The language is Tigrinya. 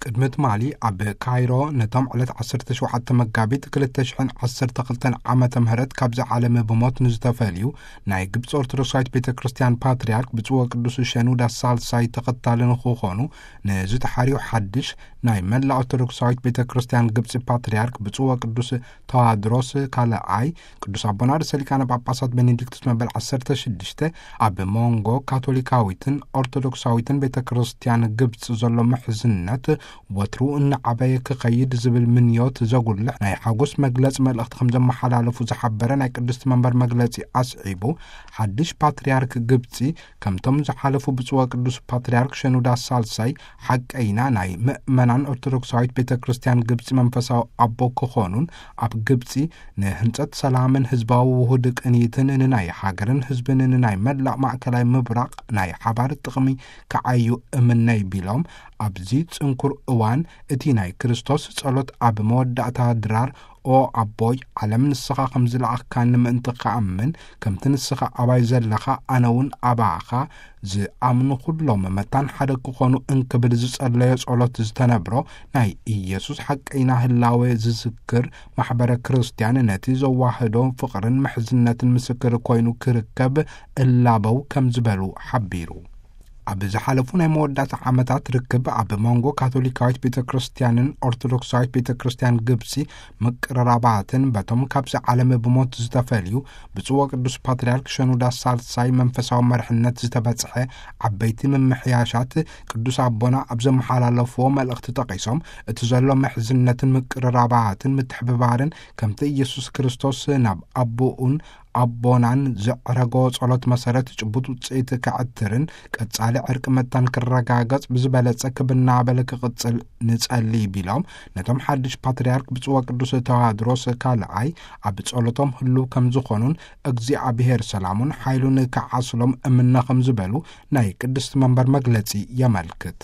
ቅድሚ ትማሊ ኣብ ካይሮ ነቶም ዕለት ዓሰርተ ሸውዓተ መጋቢት ክልተ ሽሕን ዓሰርተ ክልተን ዓመተ ምህረት ካብዚ ዓለም ብሞት ንዝተፈልዩ ናይ ግብፂ ኦርቶዶክሳዊት ቤተ ክርስቲያን ፓትርያርክ ብፁዕ ወቅዱስ ሸኑዳ ሳልሳይ ተኸታሊ ንክኾኑ ንዝተሓርዩ ሓድሽ ናይ መላ ኦርቶዶክሳዊት ቤተ ክርስቲያን ግብፂ ፓትርያርክ ብፁዕ ወቅዱስ ተዋድሮስ ካልኣይ ቅዱስ ኣቦና ርእሰ ሊቃነ ጳጳሳት ቤኔዲክቱስ መበል ዓሰርተ ሽዱሽተ ኣብ መንጎ ካቶሊካዊትን ኦርቶዶክሳዊትን ቤተ ክርስቲያን ግብፂ ዘሎ ምሕዝነት ወትሩ እናዓበየ ክኸይድ ዝብል ምንዮት ዘጉልሕ ናይ ሓጎስ መግለጺ መልእኽቲ ከም ዘመሓላለፉ ዝሓበረ ናይ ቅድስቲ መንበር መግለጺ ኣስዒቡ፣ ሓድሽ ፓትርያርክ ግብጺ ከምቶም ዝሓለፉ ብፁዕ ወቅዱስ ፓትርያርክ ሸኑዳ ሳልሳይ ሓቀይና ናይ ምእመናን ኦርቶዶክሳዊት ቤተ ክርስቲያን ግብጺ መንፈሳዊ ኣቦ ክኾኑን ኣብ ግብጺ ንህንጸት ሰላምን ህዝባዊ ውሁድ ቅንይትን ንናይ ሃገርን ህዝብን ንናይ መላእ ማእከላይ ምብራቕ ናይ ሓባር ጥቕሚ ክዓዩ እምነይ ቢሎም፣ ኣብዚ ጽንኩር እዋን እቲ ናይ ክርስቶስ ጸሎት ኣብ መወዳእታ ድራር፣ ኦ ኣቦይ፣ ዓለም ንስኻ ከም ዝለኣኽካኒ ምእንቲ ክኣምን፣ ከምቲ ንስኻ ኣባይ ዘለኻ ኣነ እውን ኣባኻ፣ ዝኣምኑ ኩሎም መታን ሓደ ክኾኑ እንክብል ዝጸለዮ ጸሎት ዝተነብሮ ናይ ኢየሱስ ሓቀይና ህላዌ ዝዝክር ማሕበረ ክርስቲያን ነቲ ዘዋህዶ ፍቕርን ምሕዝነትን ምስክር ኮይኑ ክርከብ እላበው ከም ዝበሉ ሓቢሩ። ኣብ ዝሓለፉ ናይ መወዳእታ ዓመታት ርክብ ኣብ መንጎ ካቶሊካዊት ቤተ ክርስቲያንን ኦርቶዶክሳዊት ቤተ ክርስቲያን ግብጺ ምቅርራባትን በቶም ካብዚ ዓለም ብሞት ዝተፈልዩ ብፁዕ ወቅዱስ ፓትርያርክ ሸኑዳ ሳልሳይ መንፈሳዊ መርሕነት ዝተበጽሐ ዓበይቲ ምምሕያሻት ቅዱስ ኣቦና ኣብ ዘመሓላለፍዎ መልእኽቲ ጠቒሶም፣ እቲ ዘሎ ምሕዝነትን ምቅርራባትን ምትሕብባርን ከምቲ ኢየሱስ ክርስቶስ ናብ ኣቦኡን ኣቦናን ዘዕረጎ ጸሎት መሰረት ጭቡጥ ውጽኢት ከዕትርን ቀጻሊ ዕርቂ መታን ክረጋገጽ ብዝበለጸ ክብናበል ክቕጽል ንጸሊ ቢሎም፣ ነቶም ሓድሽ ፓትርያርክ ብፁዕ ወቅዱስ ተዋድሮስ ካልኣይ ኣብ ጸሎቶም ህልው ከም ዝኾኑን እግዚኣብሔር ሰላሙን ሓይሉን ክዓስሎም እምነ ከም ዝበሉ ናይ ቅድስቲ መንበር መግለጺ የመልክት።